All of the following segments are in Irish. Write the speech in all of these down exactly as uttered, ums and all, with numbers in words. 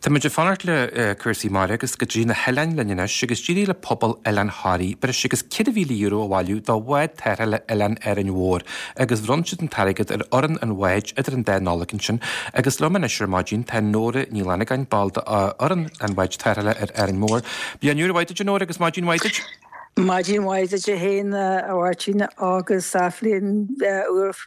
Tá muid ag fanacht le cúrsaí mara agus go dtí na hoileáin linn anois agus d'éirigh le pobal Oileán Thoraí breis agus ceithre mhíle euro a bhailiú do bhád tarrthála Oileán Árainn Mhór agus bhronn siad an t-airgead ar fhoireann an bháid idir an dá Nollaig ansin agus liom anois ar maidin tá Nóra Ní Fhlannagáin ball d'fhoireann an bháid tarrthála ar Árainn Mhór. Bliain úr mhaith duit Nóra agus maidin mhaith duit. Maidin mhaith duit féin a Mháirtín agus bliain úr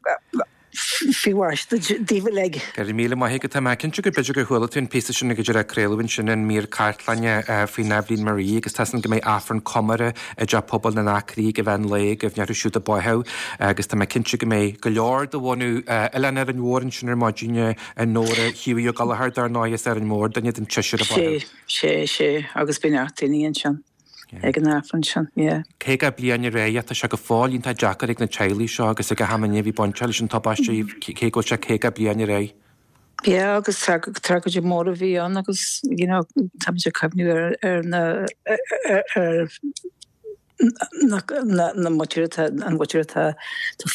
faoi mhaise daoibh uilig. Go raibh míle maith agat tá mé cinnte go b'fhéidir gur chuala tú an píosa sin go dtí craoladh ansin an mír cartlainne faoin Eibhlín Marie agus tá go mbeidh Aifreann comórtha i dteach pobail na nAcraí ag an lae go bhnearthú siúd a báitheadh agus tá mé cinnte go mbeidh go leor de bhunadh Oileán Árainn Mhór ansin ar maidin an Nóra Hughie Ó Gallchóir dar ndóigh as Árainn Mhór duine den tseisear a báitheadh. Sé sé agus bíonn daoine ansin. ag an Aifreann sin, yeah. Caoga bliain ar aghaidh tá sé go fóill iontach deacair ag na teaghlaigh seo agus ag achan duine a bhí bainte leis an tubaiste cé go bhfuil sé caoga bliain ar aghaidh. Yeah, agus tragóid mór a bhí ann agus you know, tá ag cuimhniú ar ar na ar na na na muintir an mhuintir atá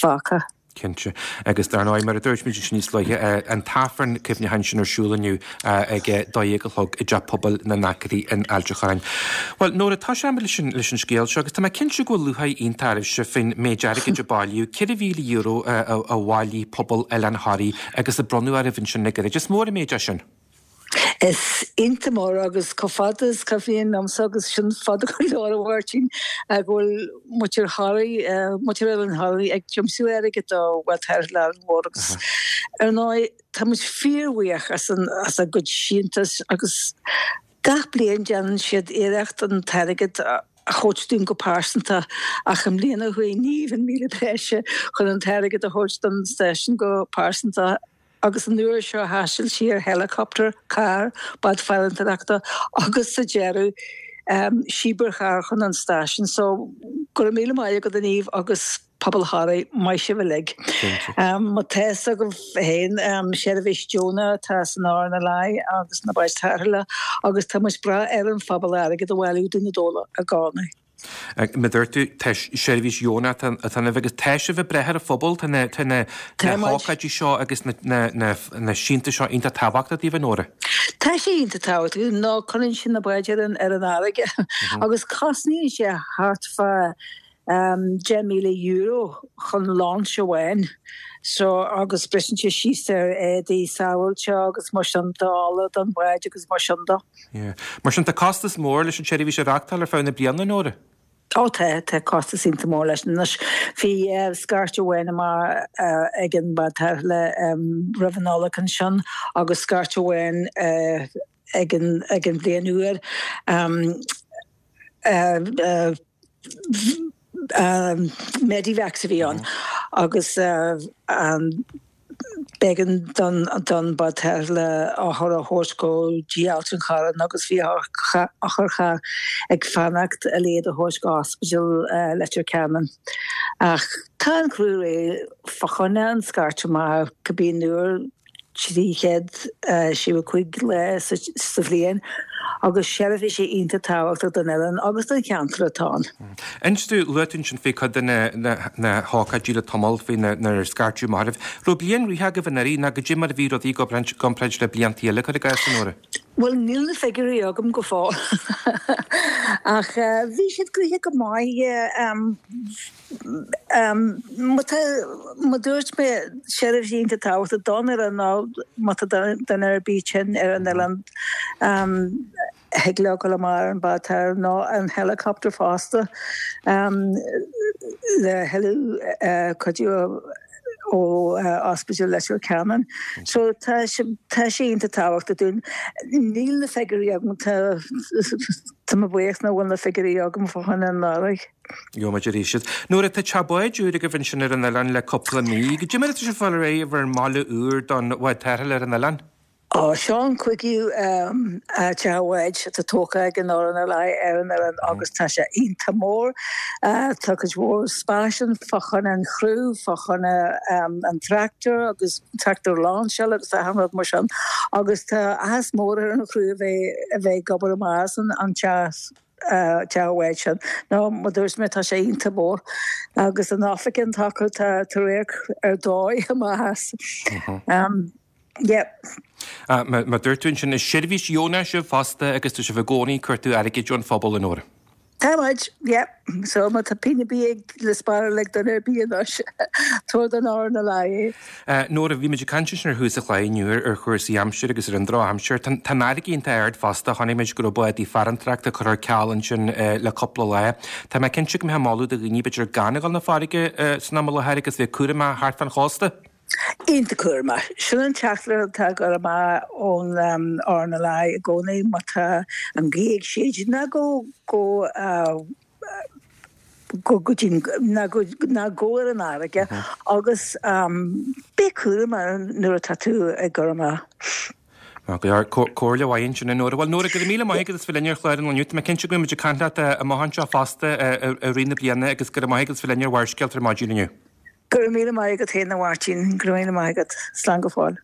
fágtha. Cinnte. Agus dar ndóigh mar a dúirt muid níos luaithe an t-aifreann cuimhneacháin sin ar siúl inniu ag dó dhéag a chlog i dteach pobail na nAcraí in Ailt an Chorráin. Well Nóra tá sé leis an leis an scéal seo agus tá mé cinnte go bhfuil lúcháir iontach oraibhse faoin méid airgid a bailíodh ceithre mhíle euro a bhailigh pobal Oileán Thoraí agus a bronnadh oraibh ansin le gairid. Is mór an méid é sin. Is iontach mór agus chomh fada is cuimhin liomsa agus sin fada go leor a Mháirtín go bhfuil muintir Thoraí muintir Oileán Thoraí ag tiomsú airgid do bhád tarrthála Árainn Mhór agus ar ndóigh tá muid fíorbhuíoch as an as a gcuid síntiús agus gach bliain déanann siad iarracht an t-airgead a thabhairt dúinn go pearsanta ach i mbliana chuaigh Niamh an míle breise chun an t-airgead a thabhairt don stáisiún go pearsanta agus an uair seo thaistil sí ar helicopter, carr, bád farantóireachta agus sa deireadh um, síobarcharr chun an stáisiún so go raibh míle maith agat a Niamh agus pobal Thoraí maith sibh uilig. Um, má tá agaibh féin um, seirbhís deonach atá san RNLI agus na báid tarrthála agus tá muid breá ar an phobal airgead a bhailiú dúinn i gcónaí. Mar a dúirt tú tá seirbhís dheonach atá ann agus tá sibh ag brath ar an phobal tá na tá na hócáidí seo agus na na na na síntiúis seo iontach tábhachtach daoibh Nóra. Tá sé iontach tábhachtach nó cuireann sin na báid ar an ar an fharraige agus cosnaíonn sé thart fá um, deich míle euro chun launch amháin. So agus briseann sé síos ar éadaí sábháilte agus mar sin de ola don bhád agus mar sin de. Yeah. Mar sin tá costas mór leis an seirbhís a reáchtáil ar feadh na bliana Nóra. Ó tá tá costas iontach mór leis anois bhí uh, scairt amháin amach uh, ag an bád le um, roimh an Nollaig ansin agus scairt amháin uh, ag an ag an bhliain úr um, uh, uh, um, Medivacs a bhí ann agus uh, um, b'éigean don don bád le othar a thabhairt go dtí Ailt an Chorráin agus bhí otharcharr ag fanacht a iad a thabhairt go ospidéal uh, Leitir Ceanainn. Ach tá an criú réidh fá choinne an scairt amach cibé uair trí chéad sé cúig lá sa bhliain agus seirbhís iontach tábhachtach don oileán agus don cheantar atá ann. Inis tú luaigh tú sin faoi chuid de na na hócáidí le tamall faoi na scairteadh amach oraibh. Raibh bliain ghnóthach agaibh anuraidh nó goidé mar a bhí rudaí i gcomparáid le blianta eile cuir i gcás Nóra. Well níl na figiúirí agam go fóill ach uh, bhí siad gnóthach go maith um, um, má dúirt mé seirbhís iontach tábhachtach don oileán ná má tá duine ar bith tinn ar an oileán um, thig leo dul amach ar an bád nó an helicopter fosta um, le thuilleadh uh, cuidiú ó uh, Ospidéal Leitir Ceanainn. So tá tá sé iontach tábhachtach dúinn. Níl na figiúirí agam tá tá mé buíoch nach bhfuil na figiúirí agam fá choinne anuraidh. Gheobhaimid arís iad. Nóra tá teach báid úr agaibh ansin ar an oileán le cúpla mí, goidé mar atá sibh ag fáil ar aghaidh bhur mbaile úr don bhád tarrthála ar an oileán. Ó seo an cúigiú teach báid atá tógtha ag an RNLI ar an oileán agus tá sé iontach mór. Tá cuid mhór spáis ann fá choinne an chriú, fá choinne an tractor agus tractor lainseála agus achan rud mar sin. Agus tá áthas mór ar an chriú a bheith a bheith ag obair amach as an an teach teach báid sin. Nó mar dúirt mé tá sé iontach mór agus an oifig atá acu tá radharc ar dóigh amach as. Um, Yeah. Mar dúirt tú ansin, is seirbhís dheonach sibh fosta agus tá sibh i gcónaí ag cuartú airgid ón phobal, a Nóra. Tá muid, yeah. So má tá pingin ar bith ag le spáráil ag duine ar bith anois, tabhair don RNLI é. Nóra, bhí muid ag caint ansin ar thús an chláir inniu ar chúrsaí aimsire agus ar an drochaimsir. Tá an fharraige iontach ard fosta, chonaic muid go raibh bádaí farantóireachta curtha ar ceal ansin le cúpla lá. Tá mé cinnte go mbeifeá ag moladh do dhaoine b'fhéidir gan a dhul 'na farraige san am i láthair agus bheith cúramach thart fán chósta. Iontach cúramach. Sin an teachtaireacht atá ag dul amach ón RNLI i gcónaí, má tá an ghaoth ag séideadh, ná gabh go go go dtí ná ná gabh ar an fharraige agus bí cúramach nuair atá tú ag dul amach. Maith go leor. Comhairle mhaith ansin, a Nóra. Bhuel, Nóra, go raibh míle maith agat as bheith linn ar chlár an lae inniu. Tá mé cinnte go mbeidh muid ag caint leat amach anseo fosta i rith na bliana agus go raibh maith agat as bheith linn ar Bharrscéalta ar maidin inniu. Go raibh míle maith agat féin, a Mháirtín. Go raibh míle maith agat. Slán go fóill.